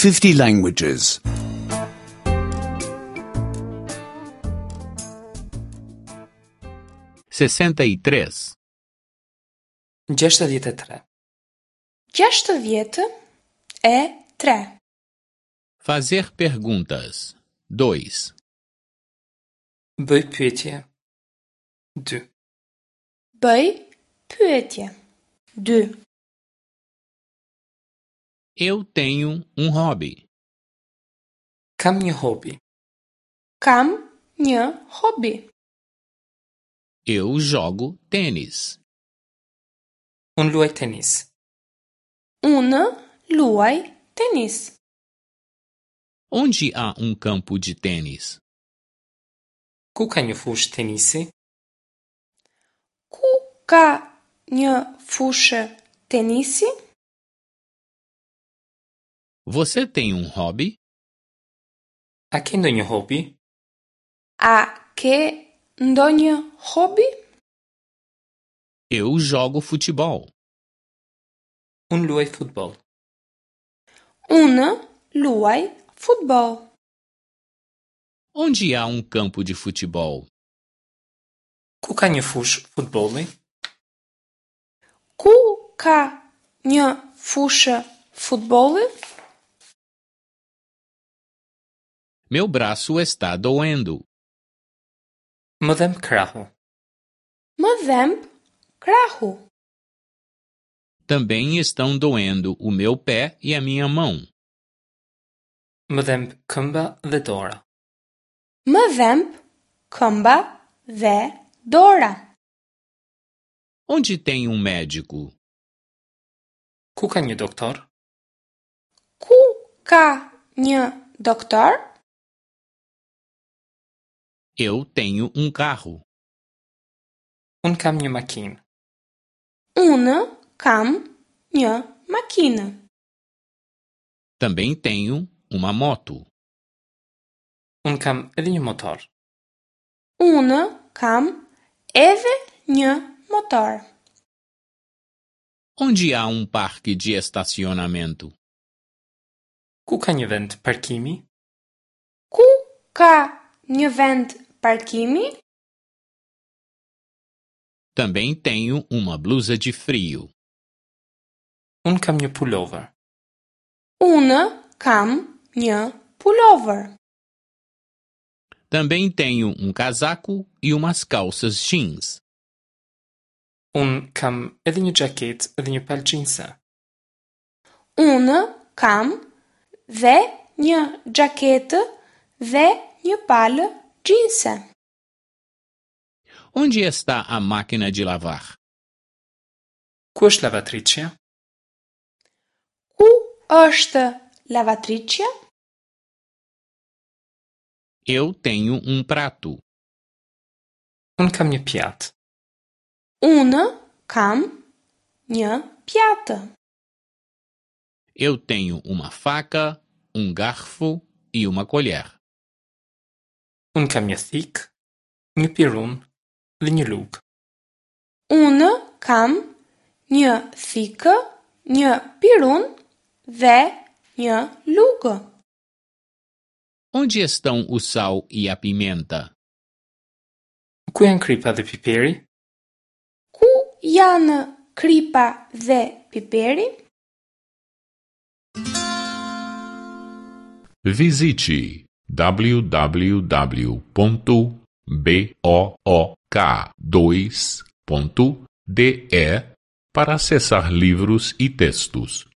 50 languages. 63. 63. 63. Fazer perguntas. 2. Bëj pyetje. 2. Bëj pyetje. 2. Eu tenho um hobby. Kam një hobi. Kam një hobi. Eu jogo tênis. Unë luaj tenis. Unë luaj tenis. Onde há um campo de tênis? Ku ka një fushë tenisi? Ku ka një fushë tenisi? Você tem um hobby? A ke ndonjë hobi? A ke ndonjë hobi? Eu jogo futebol. Unë luaj futboll. Unë luaj futboll. Onde há um campo de futebol? Ku ka një fushë futbolli? Ku ka një fushë futbolli? Meu braço está doendo. Më dhemb krahu. Më dhemb krahu. Também estão doendo o meu pé e a minha mão. Më dhemb këmba dhe dora. Më dhemb këmba dhe dora. Onde tem um médico? Ku ka një doktor? Ku ka një doktor? Eu tenho um carro. Unë kam një makinë. Unë kam një makinë. Também tenho uma moto. Unë kam edhe një motor. Unë kam edhe një motor. Onde há um parque de estacionamento? Ku ka një vend parkimi? Ku ka një vend parkimi? Também tenho uma blusa de frio. Unë kam një pullover. Unë kam një pullover. Também tenho um casaco e umas calças jeans. Unë kam edhe një xhaketë dhe një palë xhinse. Unë kam dhe një xhaketë dhe një palë xhinse. Onde está a máquina de lavar? Ku është lavatriçja? Ku është lavatriçja? Eu tenho um prato. Unë kam një pjatë. Unë kam një pjatë. Eu tenho uma faca, um garfo e uma colher. Unë kam një thikë, një pirun dhe një lugë. Unë kam një thikë, një pirun dhe një lugë. Onde estão o sal e a pimenta? Ku janë kripa dhe piperi? Ku janë kripa dhe piperi? Visite www.book2.de para acessar livros e textos.